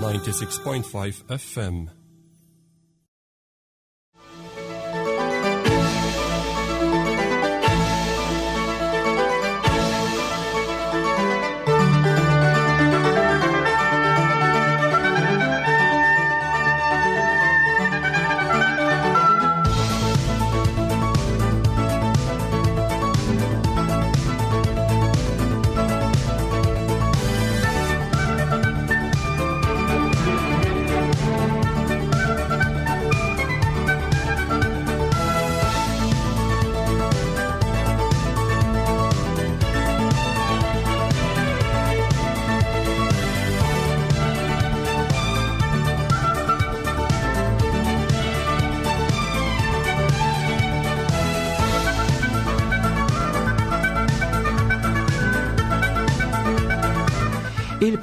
96.5 FM.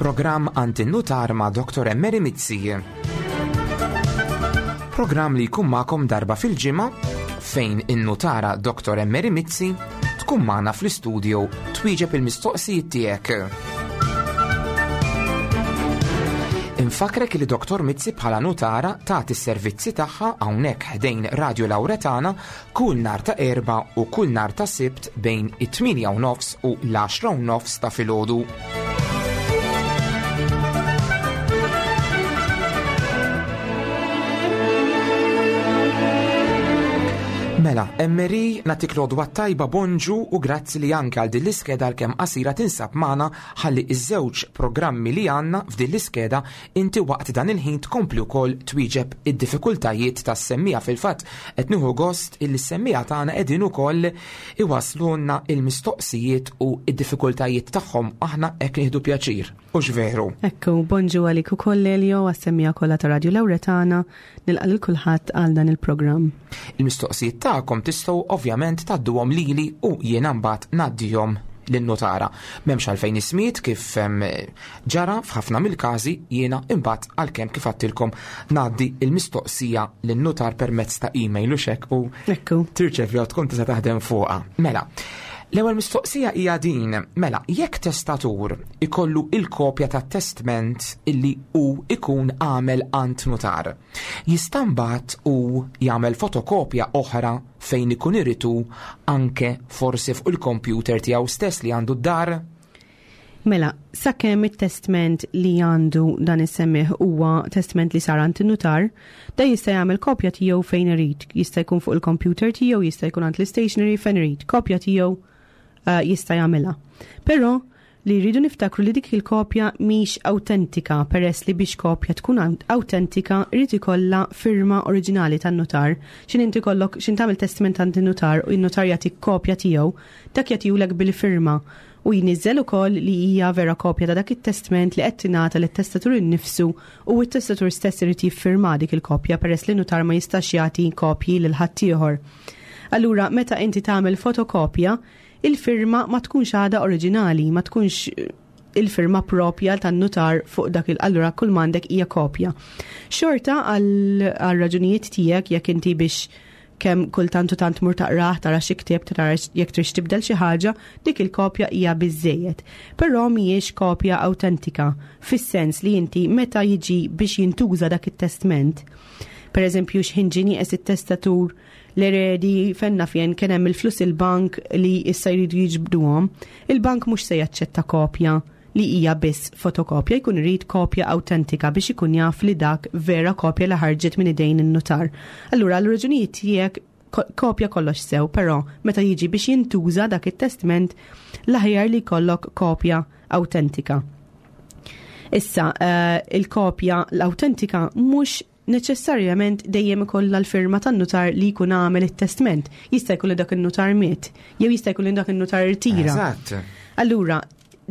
Il-programm Għand in-Nutar ma' Dr. Emery Mizzi. Programm li jkun magħkom darba fil-ġimgħa fejn in-nutara Dr. Emery Mizzi tkun magħna fl-istudio twieġeb il-mistoqsijiet tiegħek. Infakrek li Dr. Mizzi bħala nutara tagħti s-servizzi tagħha hawnhekk ħdejn Radio Lauretana kull nhar ta' Erbgħa u kull nhar ta' Sibt bejn it-8 u nofs u l-10 u nofs ta' filgħodu. Mela, Emery, natik l-odwa tajba bonġu u grazzi li anke għal din l-iskeda għalkemm qasira tinsab magħna ħalli iż-żewġ programmi li għandna f'din l-iskeda inti waqt dan il-ħin tkompli wkoll twieġeb id-diffikultajiet tas-semmiegħa. Fil-fatt qed nieħu gost illi s-semmiegħa tagħna qegħdin ukoll iwasslulna l-mistoqsijiet u d-diffikultajiet tagħhom aħna hekk nieħdu pjaċir. Hux veru? Ekku, bonġu għalik ukoll Elio għas-semmiegħa kollha ta' Radio Lewretana, nilqa' lil kulħadd għal dan il-programm. Il-mistoqsijiet tagħkom tistgħu ovvjament tgħadduhom lili u jiena mbagħad ngħaddihom lin-nutara. M'hemmx għalfejn ismijiet kif ġara f'ħafna mill-każi jiena imbagħad għalkemm kif għadtilkom ngħaddi l-mistoqsija lin-nutar permezz ta' email u xek u tirċevja u tkun tista' taħdem fuqha. Mela, l-ewwel mistoqsija hija din, mela, jekk testatur ikollu il-kopja tat-testment illi hu ikun għamel għand nutar, jista' mbagħad hu jagħmel fotokopja oħra fejn ikun irid hu anke forsi fuq il-kompjuter tiegħu stess li għandu d-dar? Mela, sakemm it-testment li għandu dan is-semmiegħ huwa testment li sar għand in-nutar, dan jista' jagħmel kopja tiegħu fejn irid. Jista' jkun fuq il-kompjuter tiegħu, jista' jkun għand l-istationery fejn irid. Kopja tiegħu eh, jista' jagħmilha. Però li rridu niftakru li dik il-kopja mhix awtentika peress li biex kopja tkun awtentika jrid ikollha firma oriġinali tan-nutar. X'in inti kollok x'in tagħmel testment għand in-nutar u n-nutar jagħtik kopja tiegħu, dak jagħtihulek bil-firma u jniżżel ukoll li hija vera kopja ta' dak it-testment li qed tingħata lit-testatur innifsu u t-testatur stess irid jiffirma dik il-kopja peress li nutar ma jistax jagħti kopji lil ħaddieħor. Allura meta inti tagħmel fotokopja, il-firma ma tkunx għadha oriġinali, ma tkunx eh, il-firma propja tan-nutar fuq dak il allura kull m'għandek hija kopja. Xorta għal raġunijiet tiegħek jekk inti biex kemm kultant u tant mur taqrah tara xi ktieb tara jekk trix tibdel xi ħaġa, dik il-kopja hija biżżejjed. Però mhijiex kopja awtentika fis-sens li inti meta jiġi biex jintuża dak it-testment. Per eżempju, x'ħin ġie nieqes it-testatur l-eredi fenna fjen kien hemm il-flus il-bank li issa jridu jiġbduhom, il-bank mhux se jaċċetta kopja li hija biss fotokopja, jkun irid kopja awtentika biex ikun jaf li dak vera kopja li ħarġet minn idejn in-nutar. Allura għal raġunijiet tiegħek kopja kollox sew, però meta jiġi biex jintuża dak it-testment l-aħjar li jkollok kopja awtentika. Issa, eh, il-kopja l-awtentika mhux neċessarjament dejjem ikollha l-firma tan-nutar li jkun għamel it-testment. Jista' jkun li dak in-nutar miet, jew jista' jkun li dak in-nutar irtira. Eżatt. Allura,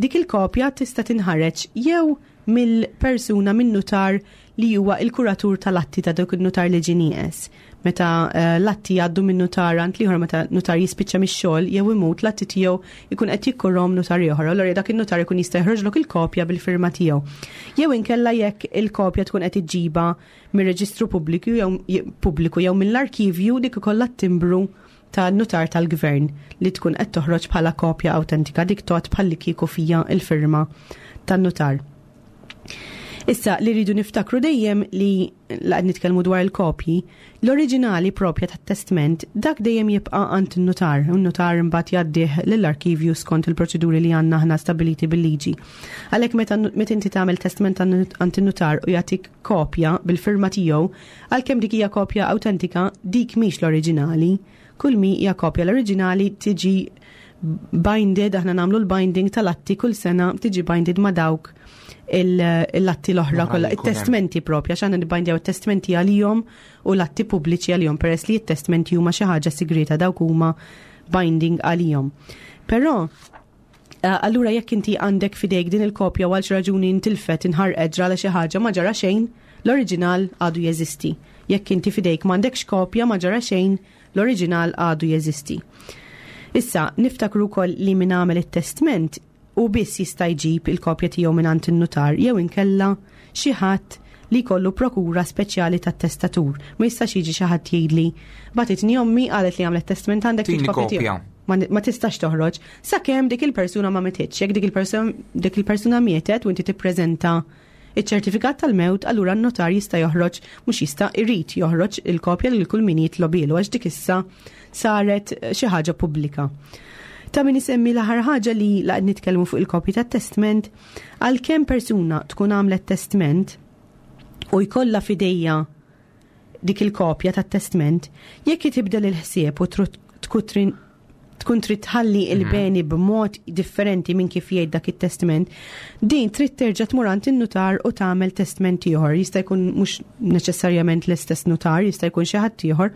dik il-kopja tista' tinħareġ jew mill-persuna min-nutar li huwa il-kuratur tal-atti ta' dak in-nutar li ġie nieqes. Meta eh, l-atti jgħaddu minn nutar għand l-ieħor meta nutar jispiċċa mix-xogħol jew imut l-atti tiegħu jkun qed jikkurhom nutar ieħor. Allura dak in-nutar ikun jista' jħroġlok il-kopja bil-firma tiegħu. Jew inkella jekk il-kopja tkun qed iġġibha mir-reġistru pubbliku jew pubbliku jew mill-arkivju dik ikollha t-timbru ta' nutar tal-gvern li tkun qed toħroġ bħala kopja awtentika dik tgħod bħal li kieku fija il-firma tan-nutar. Issa li rridu niftakru dejjem li laqad nitkellmu dwar il-kopji, l-oriġinali propja tat-testment dak dejjem jibqa' għand in-nutar, u n-nutar imbagħad jgħaddih lill-arkivju skont il-proċeduri li għandna aħna stabiliti bil-liġi. Għalhekk meta meta inti tagħmel testment għand in-nutar u jagħtik kopja bil-firma tiegħu, għalkemm dik hija kopja awtentika, dik mhix l-oriġinali. Kull mi hija kopja l-oriġinali tiġi binded, aħna nagħmlu l-binding tal-atti kull sena tiġi binded ma' dawk l-atti l-oħra kollha, it-testmenti propja, għax aħna nibbindjaw it-testmenti għalihom u l-atti pubbliċi għalihom peress li t-testmenti huma xi ħaġa sigreta dawk huma binding għalihom. Però allura jekk inti għandek fidejk din il-kopja u għal xi raġuni intilfet inħarqet ġrala xi ħaġa ma ġara xejn, l-oriġinal għadu jeżisti. Jekk inti fidejk m'għandekx kopja ma ġara xejn, l-oriġinal għadu jeżisti. Issa, niftakru wkoll li min għamel it-testment u biss jista' jġib il-kopja tiegħu mingħand in-nutar jew inkella xi ħadd li jkollu prokura speċjali tat-testatur. Ma jistax jiġi xi ħadd jgħidli bagħtitni ommi qalet li għamlet testament għandek Tini kopja kopja. tiegħu. Ma tistax toħroġ sakemm dik il-persuna ma mititx. Jekk dik il-persuna mietet u inti tippreżenta iċ-ċertifikat tal-mewt, allura n-notar jista' joħroġ, mhux jista' irid joħroġ il-kopja lil kull min jitlobilu għax dik issa saret xi ħaġa pubblika. Ta' min isemmi l-aħħar ħaġa li laqgħet nitkellmu fuq il-kopji tat-testment, għalkemm persuna tkun għamlet testment u jkollha f'idejja dik il-kopja tat-testment, jekk tibdel il-ħsieb u tkun trid tħalli il-beni b'mod differenti minn kif jgħid dak it-testament, din trid terġa' tmur għand in-nutar u tagħmel testament ieħor. Jista' jkun mhux neċessarjament l-istess nutar, jista' jkun xi ħadd ieħor,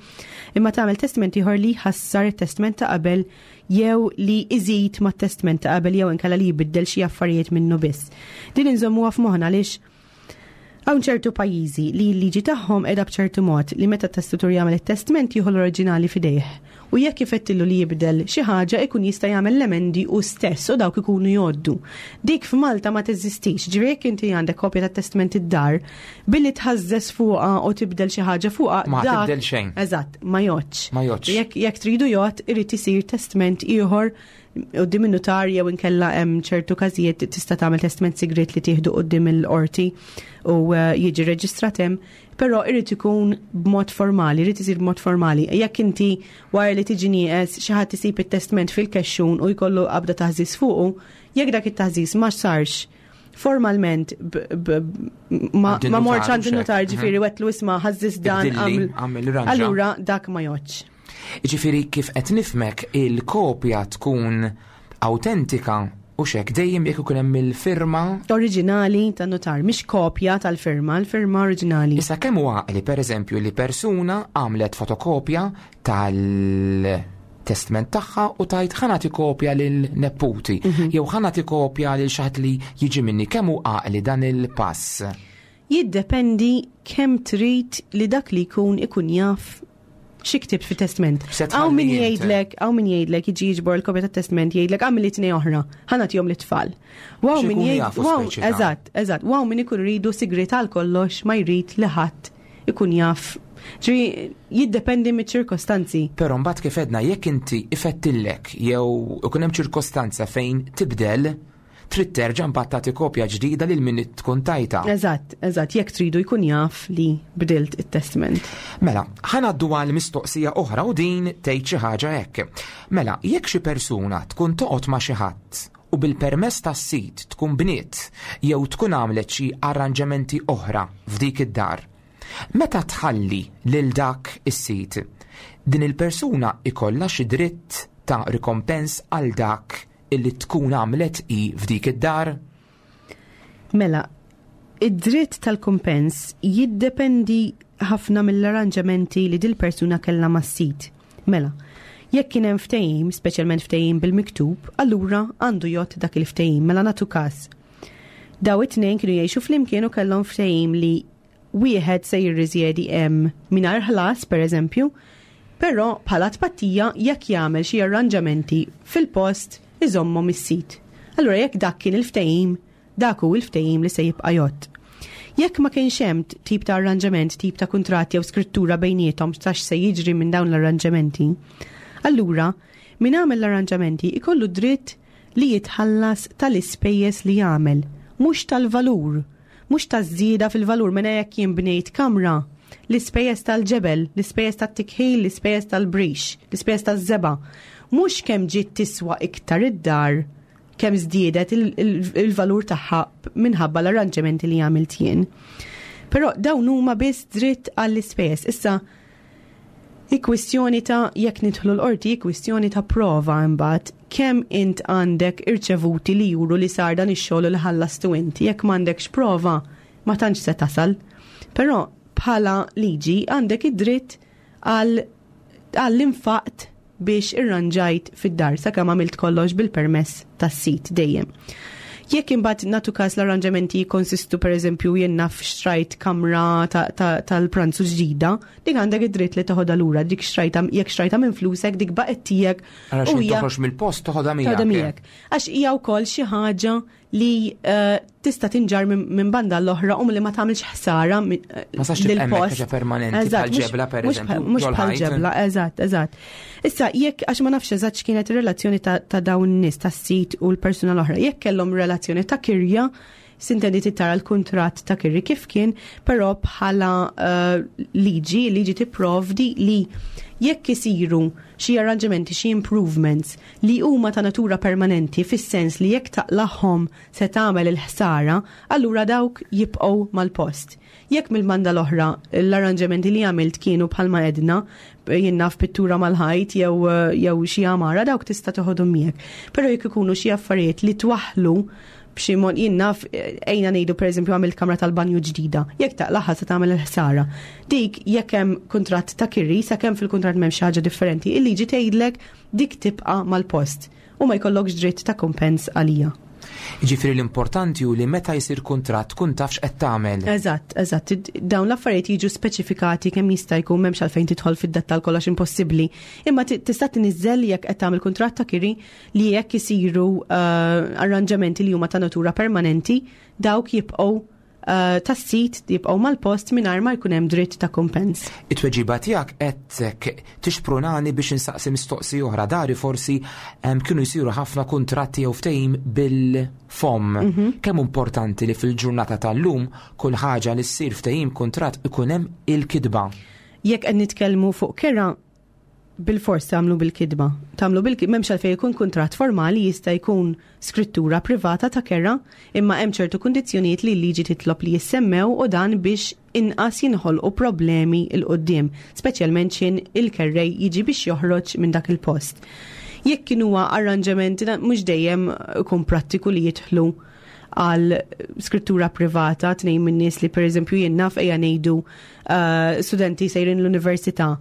imma tagħmel testament ieħor li jħassar it-testament ta' qabel jew li iżid mat-testament ta' qabel jew inkella li jbiddel xi affarijiet minnu biss. Din inżommuha f'moħħna għaliex hawn ċertu pajjiżi li l-liġi tagħhom qiegħda b'ċertu mod li meta t-testatur jagħmel it-testament jieħu l-oriġinali f'idejh. U jekk ifettillu li jibdel xi ħaġa ikun jista' jagħmel l-emendi u stess u dawk ikunu jgħoddu. Dik f'Malta ma teżistix, ġifieri jekk inti għandek kopja tat-testament id-dar, billi tħażżes fuqha u tibdel xi ħaġa fuqha, Ma dak tibdel xejn. Eżatt, ma jgħoddx. Ma jgħoddx. Jekk tridu jgħodd, irid isir testament ieħor quddiem in-nutar jew inkella hemm ċertu każijiet tista' tagħmel testament sigriet li tieħdu quddiem il-qorti u jiġi reġistrat hemm, però irid ikun b'mod formali, irid isir b'mod formali. Jekk inti wara li tiġi nieqes xi ħadd isib it-testament fil-kexxun u jkollu qabda taħżiż fuqu, jekk dak it-taħżiż ma sarx formalment Għand ma morx in-nutar, għand in-nutar, xek. ġifieri wetlu isma' ħażżis dan, Ibdilli, għamel ranġa. Allura dak ma jgħoddx. Ġifieri kif qed nifhmek il-kopja tkun autentika u xek dejjem jekk ikun hemm il-firma oriġinali tan-nutar, mhix kopja tal-firma, l-firma oriġinali. Issa kemm huwa għaqli pereżempju li persuna għamlet fotokopja tal-testament tagħha u tajt ħa nagħti kopja lil neputi jew ħa nagħti kopja lil xi ħadd li jiġi minni, kemm hu għaqli dan il-pass? Jiddependi kemm trid li dak li jkun ikun jaf xi ktibt fi testament. Se tħalli Hawn min int. jgħidlek, hawn min jgħidlek jiġi jiġbor il-kopja tat-testament jgħidlek għamil li tnej oħra, ħa nagħtihom lit-tfal. Waw Xi min jkunu jgħid, jafu waw, speċi ta' eżatt, eżatt, waw min ikun iridu sigriet għal kollox ma jrid li ħadd ikun jaf. Ġifieri jiddependi miċ-ċirkostanzi. Però mbagħad kif edna jekk inti ifettillek jew ikun hemm ċirkostanza fejn tibdel, trid terġa' mbagħad tagħti kopja ġdida lil min tkun tajta. Eżatt, eżatt, jekk tridu jkun jaf li bdilt it-testament. Mela, ħa ngħaddu għal mistoqsija oħra u din tgħid xi ħaġa hekk. Mela, jekk xi persuna tkun toqgħod ma' xi ħadd u bil-permess tas-sid tkun bniet jew tkun għamlet xi arranġamenti oħra f'dik id-dar, meta tħalli lil dak is-sid, din il-persuna ikollha xi dritt ta' rikompens għal dak illi tkun għamlet i f'dik id-dar? Mela, id-dritt tal-kumpens jiddependi ħafna mill-arranġamenti li dil-persuna kellha mas-sid. Mela, jekk kien hemm ftehim, speċjalment ftehim bil-miktub, allura għandu jgħodd dak il-ftehim. Mela nagħtu każ. Daw it-tnejn kienu jgħixu flimkien u kellhom ftehim li wieħed se jirriżjedi hemm mingħajr ħlas, pereżempju, però bħala tpattija jekk jagħmel xi arranġamenti fil-post iżommhom is-sid. Allura jekk dak kien il-ftehim, dak hu il-ftehim li se jibqa' jgħodd. Jekk ma kienx hemm tip ta' arranġament, tip ta' kuntratt jew skrittura bejniethom x'tax se jiġri minn dawn l-arranġamenti, allura min għamel l-arranġamenti ikollu dritt li jitħallas tal-ispejjeż li jagħmel, mhux tal-valur. Mhux taż-żieda fil-valur mela jekk jien bnejt kamra, l-ispejjeż tal-ġebel, l-ispejjeż tat-tikħil, l-ispejjeż tal-brix, l-ispejjeż taż-żebgħa. Mhux kemm ġiet tiswa iktar id-dar kemm żdiedet il-valur tagħha minħabba l-arranġamenti li għamilt jien. Però dawn huma biss dritt għall-ispejjeż. Issa hi kwistjoni ta' jekk nidħlu l-qorti, hi kwistjoni ta' prova imbagħad kemm int għandek irċevuti li juru li sar dan ix-xogħol li ħallastu inti. Jekk m'għandekx prova, ma tantx se tasal. Però bħala liġi għandek id-dritt għal għall-infaqt biex irranġajt fid-dar sakemm għamilt kollox bil-permess tas-sid dejjem. Jekk imbagħad nagħtu każ l-arranġamenti jikkonsistu pereżempju jien naf xtrajt kamra tal-pranzu ġdida, dik għandek id-dritt li toħodha lura, dik xtrajta jekk xtrajta minn flusek dik baqgħet tiegħek. Ara xi toħroġ mill-post toħodha miegħek. Għax hija wkoll xi ħaġa li eh, tista' tinġar minn banda l-oħra u li ma tagħmilx ħsara eh, ma sax tibqa' permanenti bħal ġebla pereżempju. Mhux bħal ġebla, eżatt, eżatt. Issa jekk għax ma nafx eżatt x'kienet ir-relazzjoni ta' dawn nies tas-sit u l-persuna l-oħra, jekk kellhom relazzjoni ta' kirja, sintendi tara l-kuntratt ta' kirri kif kien, però bħala eh, liġi, liġi tipprovdi li jekk isiru xi arranġamenti, xi improvements li huma ta' natura permanenti fis-sens li jekk taqlagħhom se tagħmel il-ħsara, allura dawk jibqgħu mal-post. Jekk mill-banda l-oħra l-arranġamenti li għamilt kienu bħalma għedna, jien naf pittura mal-ħajt jew jew xi għamara, dawk tista' toħodhom miegħek. Però jekk ikunu xi affarijiet li twaħħlu b'xi mod jien naf ejna ngħidu pereżempju għamilt kamra tal-banju ġdida, jekk taqlagħha se tagħmel il-ħsara. Dik jekk hemm kuntratt ta' kiri, sakemm fil-kuntratt m'hemm xi ħaġa differenti, il-liġi tgħidlek dik tibqa' mal-post u ma jkollokx dritt ta' kumpens għalija. Jiġifieri l-importanti hu li meta jsir kuntratt tkun taf x'qed tagħmel. Eżatt, eżatt. Dawn l-affarijiet jiġu speċifikati kemm jista' jkun m'hemmx għalfejn tidħol fid-dettall kollox impossibbli. Imma tista' tniżżel jekk qed tagħmel kuntratt ta' kiri li jekk isiru eh, arranġamenti li huma ta' natura permanenti, dawk jibqgħu eh, tas-sit jibqgħu mal-post mingħajr ma jkun hemm dritt ta' kumpens. It-tweġiba tiegħek qed tixprunani biex insaqsi mistoqsi oħra dari forsi kienu jsiru ħafna kuntratti jew ftehim bil-fomm. Mhm. Kemm importanti li fil-ġurnata tal-lum kull ħaġa li ssir ftehim kuntratt ikun hemm il-kitba. Jekk qed nitkellmu fuq kera, bil-fors tagħmlu bil-kitba. Tagħmlu bil m'hemmx għalfejn ikun kuntratt formali jista' jkun skrittura privata ta' kera, imma hemm ċertu kundizzjonijiet li l-liġi titlob li jissemmew u dan biex inqas jinħolqu problemi 'l quddiem, speċjalment x'in il-kerrej jiġi biex joħroġ minn dak il-post. Jekk kien huwa arranġament mhux dejjem ikun prattiku li jidħlu għal skrittura privata tnejn minn nies li pereżempju jien naf ejja ngħidu uh, studenti sejrin l-università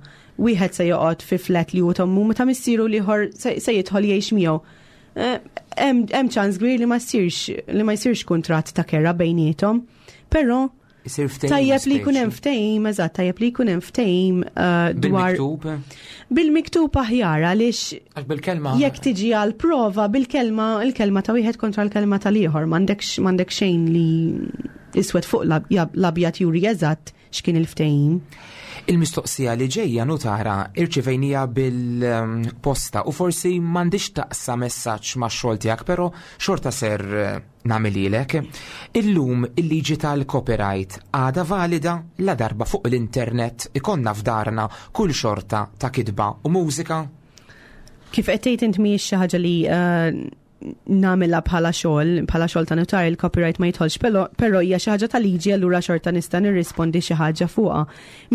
wieħed se joqgħod fi flat li hu tommu meta missieru l-ieħor se jidħol jgħix miegħu. Eh, hemm ċans kbir li ma jsirx li ma jsirx kuntratt ta' kera bejniethom, però Tajjeb li jkun hemm ftehim, eżatt, tajjeb li jkun hemm ftehim eh, dwar. Bil-miktub? Bil-miktub aħjar għaliex. Għax bil-kelma. Jekk tiġi għal prova bil-kelma, il-kelma ta' wieħed kontra l-kelma tal-ieħor, m'għandekx m'għandek xejn li iswed fuq l-abjad juri eżatt x'kien il-ftehim. Il-mistoqsija li ġejja nutara irċivejnija bil-posta u forsi m'għandix taqsa messaġġ max-xogħol tiegħek, però xorta ser eh, nagħmililek. Illum il-liġi tal-copyright għadha valida la darba fuq l-internet ikonna f'darna kull xorta ta' kitba u mużika? Kif qed tgħid int mhijiex xi ħaġa li eh, nagħmilha bħala xogħol, bħala xogħol ta' notar il-copyright ma jidħolx, però hija xi ħaġa ta' liġi allura xorta nista' nirrispondi xi ħaġa fuqha.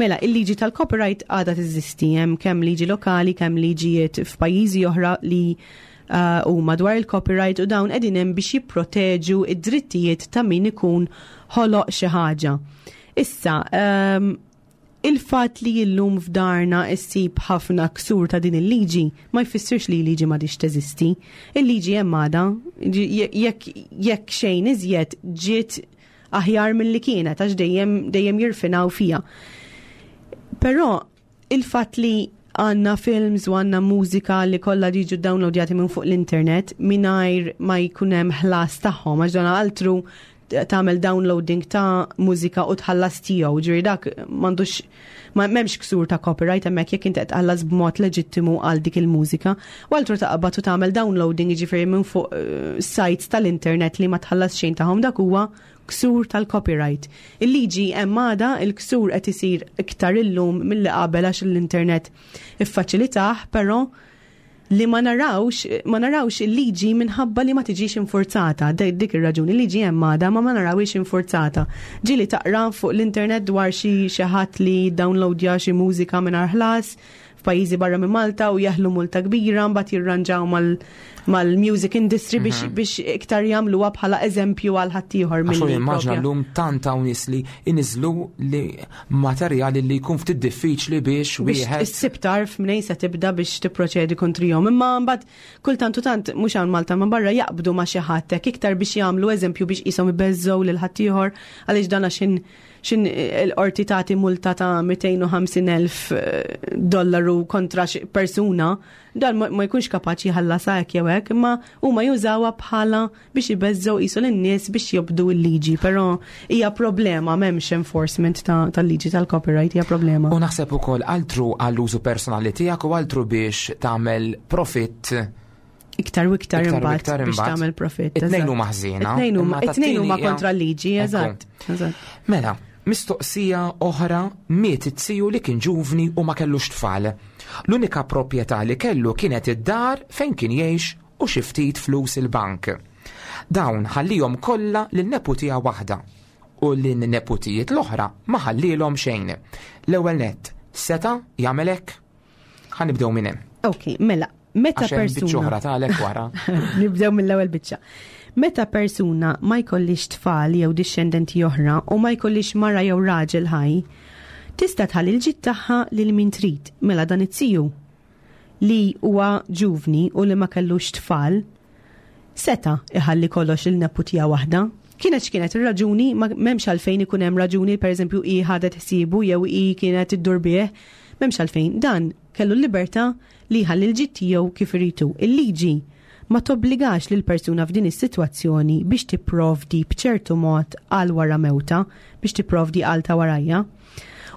Mela, il-liġi tal-copyright għadha teżisti, hemm kemm liġi lokali, kemm liġijiet f'pajjiżi oħra li eh, huma uh, dwar il-copyright u dawn qegħdin hemm biex jipproteġu id-drittijiet ta' min ikun ħoloq xi ħaġa. Issa, um, Il-fatt li illum f'darna issib ħafna ksur ta' din il-liġi ma jfissirx li l-liġi m'għadhiex teżisti. Il-liġi hemm għadha, jekk jekk xejn iżjed ġiet aħjar milli kienet għax dejjem dejjem jirfinaw fiha. Però il-fatt li għandna films u għandna mużika li kollha jiġu downloadjati minn fuq l-internet mingħajr ma jkun hemm ħlas tagħhom għax dan altru tagħmel downloading ta' mużika u tħallas tiegħu, ġifieri dak m'għandux ma m'hemmx ksur ta' copyright hemmhekk jekk inti qed tħallas b'mod leġittimu għal dik il-mużika. U altru taqbad u tagħmel downloading jiġifieri minn fuq eh, sites tal-internet li ma tħallas xejn tagħhom dak huwa ksur tal-copyright. Il-liġi hemm għadha, il-ksur qed isir iktar illum milli qabel għax l-internet iffaċilitah, però li ma narawx il-liġi minħabba li ma tiġix infurzata. Dik ir-raġuni, il-liġi hemm għadha ma ma narawix infurzata. Ġieli taqra fuq l-internet dwar xi ħadd li downloadja xi mużika mingħajr ħlas f'pajjiżi barra minn Malta u jeħlu multa kbira, mbagħad jirranġaw mal-music industry biex iktar jagħmluha bħala eżempju għal ħaddieħor Għax milli immaġna propja. llum tant hawn nies li iniżlu li materjali li jkun ftit diffiċli biex biex wieħed issib tarf mnejn se tibda biex tipproċedi kontrihom. Imma mbagħad kultant u tant mhux hawn Malta ma barra jaqbdu ma' xi ħadd hekk iktar biex jagħmlu eżempju biex qishom ibeżżgħu lil ħaddieħor, għaliex dan xin xin il-qorti tagħti multa ta' 250,000 dollaru kontra xi persuna, dan ma jkunx kapaċi jħallasha hekk jew hekk, imma huma jużawha bħala biex ibeżżgħu qisu lin-nies biex jobdu l-liġi, però hija problema, m'hemmx enforcement tal-liġi tal-copyright, hija problema. U naħseb ukoll altru għall-użu personali tiegħek u altru biex tagħmel profitt Iktar u iktar iktar u imbagħad iktar biex imbagħad. tagħmel profitt. It-tnejn Eżatt. huma ħżiena. It-tnejn huma Imma it-tnejn huma tat-tieni hija- kontra l-liġi, Ekku. eżatt. Mela, mistoqsija oħra: miet it-ziju li kien ġuvni u ma kellux tfal. L-unika proprjetà li kellu kienet id-dar fejn kien jgħix u xi ftit flus il-bank. Dawn ħallihom kollha lin-neputija waħda u lin-neputijiet l-oħra ma ħallilhom xejn. L-ewwel nett, seta' jagħmel hekk? Ħa nibdew minn hemm. Ok, mela, meta Għax hemm biċċa persuna oħra tagħlek wara. Nibdew mill-ewwel biċċa. Meta persuna ma jkollix tfal jew dixxendenti oħra u ma jkollix mara jew raġel ħaj, tista' tħalli l-ġid tagħha lil min trid. Mela dan it-tiju li huwa ġuvni u li ma kellux tfal, seta' iħalli kollox il-neputija waħda. Kienet x'kienet ir-raġuni, ma m'hemmx għalfejn ikun hemm raġuni, pereżempju hi ħadet ħsiebu jew hi kienet iddur bih, m'hemmx għalfejn. Dan kellu l-libertà li jħalli l-ġid tiegħu kif iridu. Il-liġi ma tobbligax lil persuna f'din is-sitwazzjoni biex tipprovdi b'ċertu mod għal wara mewta, biex tipprovdi għal ta' warajja.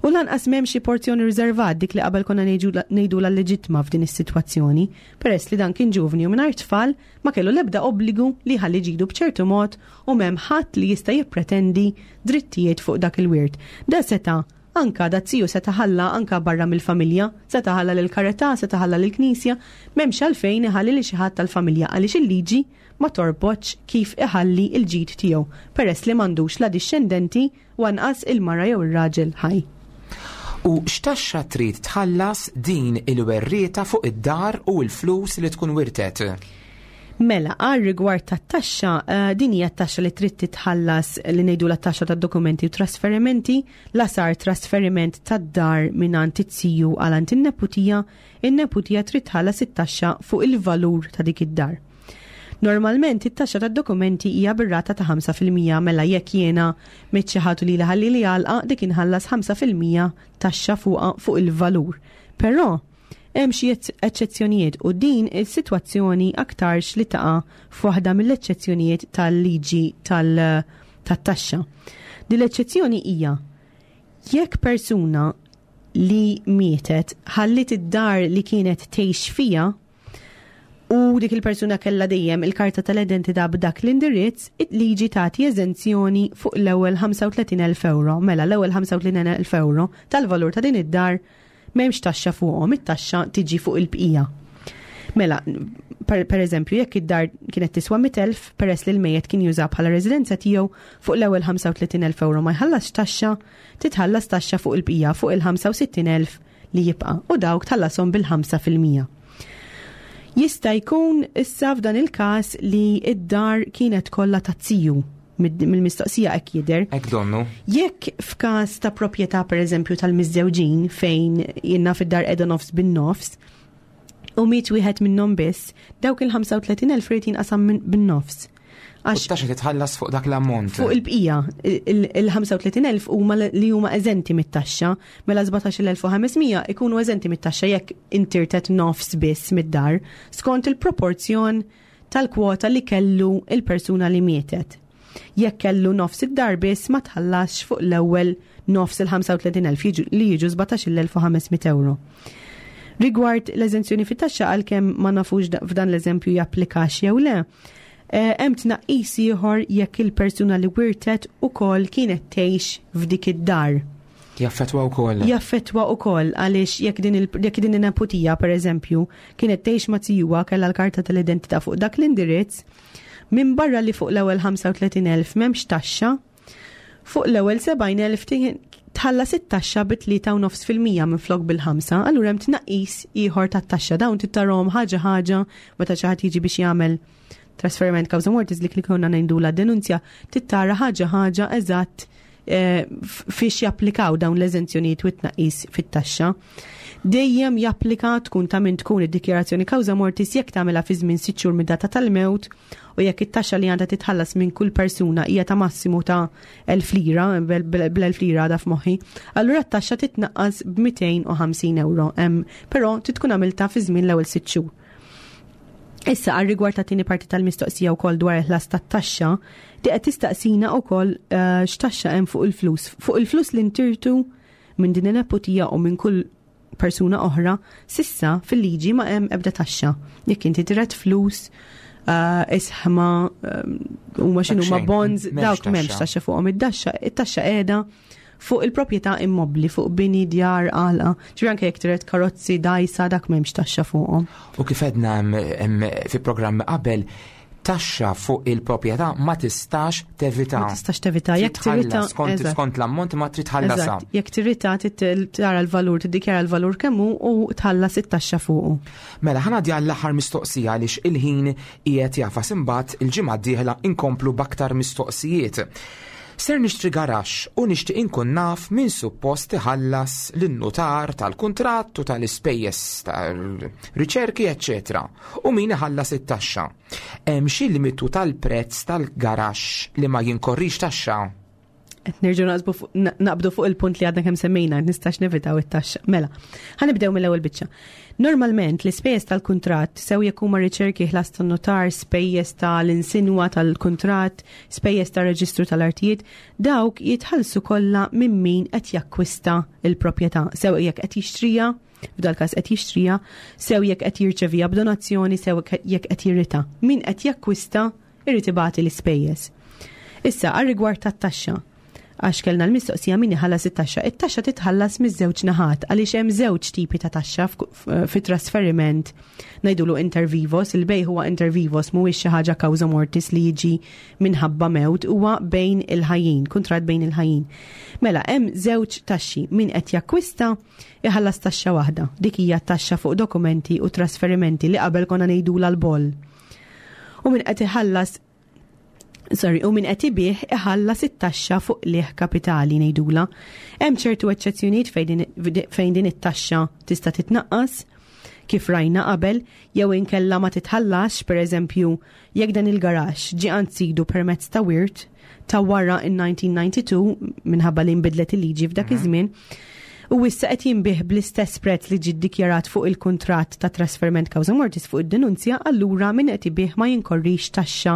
U lanqas m'hemm xi porzjoni riservat, dik li qabel konna ngħidu la leġitma f'din is-sitwazzjoni, peress li dan kien ġuvni u mingħajr tfal ma kellu l-ebda obbligu li jħalli ġidu b'ċertu mod u m'hemm ħadd li jista' jippretendi drittijiet fuq dak il-wirt. Da seta' anka da ziju seta' ħalla anka barra mill-familja, seta' ħalla lil karità, seta' ħalla lil knisja, m'hemmx għalfejn iħalli li xi ħadd tal-familja għaliex il-liġi ma torbotx kif iħalli il-ġid tiegħu, peress li m'għandux la dixxendenti u anqas il-mara jew ir-raġel ħaj. U x'taxxa trid tħallas din il-werrieta fuq id-dar u l-flus li tkun wirtet? Mela, għal rigward tat-taxxa, din hija t-taxxa li trid titħallas li ngħidu la taxxa tad-dokumenti u trasferimenti, la sar trasferiment tad-dar mingħand it-ziju għal għand in-neputija, in-neputija trid tħallas it-taxxa fuq il-valur ta' dik id-dar. Normalment it-taxxa tad-dokumenti hija bir-rata ta' 5%, mela jekk jiena miet xi ħadd li ħalli li għalqa, dik inħallas 5% taxxa fuq il-valur. Però hemm xi eċċezzjonijiet u din is-sitwazzjoni aktarx li taqa' f'waħda mill-eċċezzjonijiet tal-liġi tat-taxxa. Din l-eċċezzjoni hija jekk persuna li mietet ħallit id-dar li kienet tgħix fija u dik il-persuna kellha dejjem il-karta tal-identità b'dak l-indirizz, il-liġi tagħti eżenzjoni fuq l-ewwel 35,000 euro. Mela l-ewwel 35,000 euro tal-valur ta' din id-dar m'hemmx taxxa fuqhom, it-taxxa tiġi fuq il-bqija. Mela, per eżempju, jekk id-dar kienet tiswa 100,000, peress li l-mejjet kien juża bħala residenza tiegħu, fuq l-ewwel 35,000 euro ma jħallas taxxa, titħallas taxxa fuq il-bqija, fuq il-65,000 li jibqa', u dawk tħallasom bil-5%. Jista' jkun issa f'dan il-każ li id-dar kienet kollha taz-ziju, mill-mistoqsija hekk jidher. Hekk donnu. Jekk f'każ ta' proprjetà, pereżempju tal-miżżewġin, fejn jiena fid-dar qiegħda nofs bin-nofs u miet wieħed minnhom biss, dawk il-35,000 irid jinqasam bin-nofs. Għax taxxa titħallas fuq dak l-ammont. Fuq il-bqija, il-35,000 huma li huma eżenti mit-taxxa, mela 17,500 ikunu eżenti mit-taxxa jekk intirtet nofs biss mid-dar, skont il-proporzjon tal-kwota li kellu il-persuna li mietet. Jekk kellu nofs id-dar biss, ma tħallasx fuq l-ewwel nofs il-35,000 li jiġu 17,500 euro. Rigward l-eżenzjoni fit-taxxa, għalkemm ma nafux f'dan l-eżempju japplikax jew le, Hemm tnaqqis ieħor jekk il-persuna li wirtet ukoll kienet tgħix f'dik id-dar. Jaffetwa wkoll. Jaffetwa wkoll għaliex jekk din jekk din in-neputija pereżempju kienet tgħix ma' tijuha kellha l-karta tal-identità fuq dak l-indirizz, minn barra li fuq l-ewwel 35,000 m'hemmx taxxa, fuq l-ewwel 70,000 tħallas it-taxxa bi 3.5% minflok bil-5, allura hemm tnaqqis ieħor tat-taxxa. Dawn tittarhom ħaġa ħaġa meta xi ħadd jiġi biex jagħmel trasferiment causa mortis li konna ngħidula denunzja tittara ħaġa ħaġa eżatt fiex japplikaw dawn l-eżenzjonijiet u t-tnaqqis fit-taxxa. Dejjem japplika tkun ta' min tkun id-dikjarazzjoni causa mortis jekk tagħmilha fi żmien 6 xhur mid-data tal-mewt u jekk it-taxxa li għandha titħallas minn kull persuna hija ta' massimu ta' 1000 lira, bl-1000 lira għadha f'moħħi, allura t-taxxa titnaqqas b'250 euro, però trid tkun għamiltha fi żmien l-ewwel 6 xhur. Issa għal rigward ta' tieni parti tal-mistoqsija wkoll dwar il-ħlas tat-taxxa, di qed tistaqsina wkoll x'taxxa hemm fuq il-flus. Fuq il-flus li ntirtu minn din in-neputija u minn kull persuna oħra, sissa fil-liġi ma hemm ebda taxxa. Jekk inti tiret flus, isħma, huma x'inhu ma bonds, dawk m'hemmx taxxa fuqhom id-daxxa, it-taxxa qiegħda fuq il-proprjetà immobbli, fuq bini, djar, għalqa. Ġifieri anke jekk tiret karozzi, dajsa, dak m'hemmx taxxa fuqhom. U kif għedna fi programmi qabel, taxxa fuq il-proprjetà ma tistax tevita. Ma tistax tevita. Jekk tirita skont l-ammont ma trid tħallasha. Jekk tirita tara l-valur, tiddikjara l-valur kemm hu u tħallas it-taxxa fuqu. Mela ħa ngħaddi għall-aħħar mistoqsija għaliex il-ħin qiegħed jafas imbagħad il-ġimgħa d-dieħla inkomplu b'aktar mistoqsijiet. Ser nixtri garaxx u nixtieq inkun naf min suppost iħallas lin-nutar tal-kuntratt u tal-ispejjeż tal-riċerki, eċċetera, u min iħallas it-taxxa. Hemm xi limitu tal-prezz tal-garaxx li ma jinkorrix taxxa? Qed nerġgħu naqbdu fuq il-punt li għadna kemm semmejna, nistax nevitaw it-taxxa. Mela, ħanibdew mill-ewwel biċċa. Normalment l-ispejjeż tal-kuntratt sew jekk huma riċerki ħlas tan-notar, spejjeż tal-insinwa tal-kuntratt, spejjeż tar-reġistru tal-artijiet, dawk jitħallsu kollha minn min qed jakkwista l-proprjetà, sew jekk qed jixtrija, f'dal każ qed jixtrija, sew jekk qed jirċevija b'donazzjoni, sew jekk qed jirritha. Min qed jakkwista irid ibati l-ispejjeż. Issa għal rigward tat-taxxa, għax kellna l-mistoqsija min iħallas it-taxxa. It-taxxa titħallas miż-żewġ naħat għaliex hemm żewġ tipi ta' taxxa fit-trasferiment ngħidulu inter vivos, il-bejgħ huwa inter vivos mhuwiex xi ħaġa causa mortis li jiġi minħabba mewt, huwa bejn il-ħajjin, kuntratt bejn il-ħajjin. Mela hemm żewġ taxxi, min qed jakkwista iħallas taxxa waħda, dik hija taxxa fuq dokumenti u trasferimenti li qabel konna ngħidulha l-boll. U min qed iħallas Sorry, u min qed ibih iħallas it-taxxa fuq liħ kapitali ngħidula. Hemm ċertu eċċezzjonijiet fejn din it-taxxa tista' titnaqqas, kif rajna qabel, jew inkella ma titħallax, pereżempju, jekk dan il-garaxx ġie għand sidu permezz ta' wirt ta' wara in-1992 minħabba li nbidlet il-liġi f'dak iż-żmien, u issa qed jinbih bl-istess prezz li ġie ddikjarat fuq il-kuntratt ta' trasferiment causa mortis fuq id-denunzja, allura min qed ibih ma jinkorrix taxxa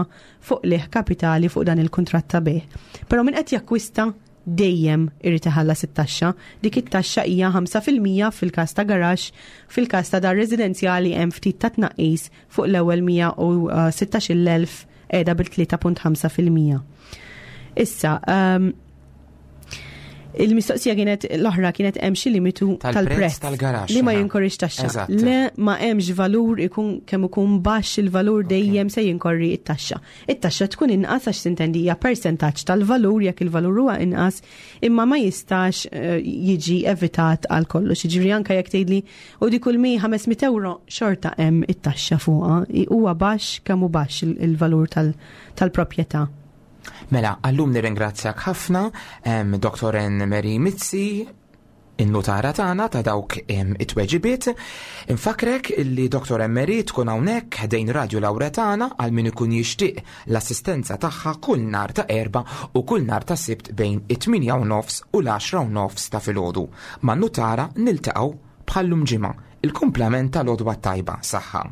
fuq liħ kapitali fuq dan il-kuntratt ta' bejgħ. Però min qed jakkwista dejjem irid iħallas it-taxxa. Dik it-taxxa hija 5% fil-każ ta' garaxx, fil-każ ta' dar residenzjali hemm ftit ta' tnaqqis fuq l-ewwel 116,000 qiegħda bil-3.5%. Issa, il-mistoqsija kienet l-oħra kienet hemm xi limitu tal-prezz tal-prezz tal-garaxx, li ma jinkorrix taxxa. Le ma hemmx valur ikun kemm ikun baxx il-valur dejjem se jinkorri it-taxxa. It-taxxa tkun inqas għax tintendi hija persentaġġ tal-valur jekk il-valur huwa inqas, imma ma jistax jiġi evitat għal kollox. Jiġifieri anke jekk tgħidli u dik kull mi 500 euro xorta hemm it-taxxa fuqha. Huwa baxx kemm hu baxx il-valur tal-proprjetà. Mela, għallum nirringrazzjak ħafna, Dr. Anne Marie Mizzi, in-nutara tagħna ta' dawk it-tweġibiet. Infakrek illi Dr. Anne Marie tkun hawnhekk ħdejn Radio Lauretana għal min ikun jixtieq l-assistenza tagħha kull nhar ta' Erbgħa u kull nhar ta' Sibt bejn it-tmienja u nofs u l-għaxra u nofs ta' filgħodu. Man-nutara niltaqgħu bħallum ġimgħa, il-kumplament tal-għodwa tajba. Saħħa.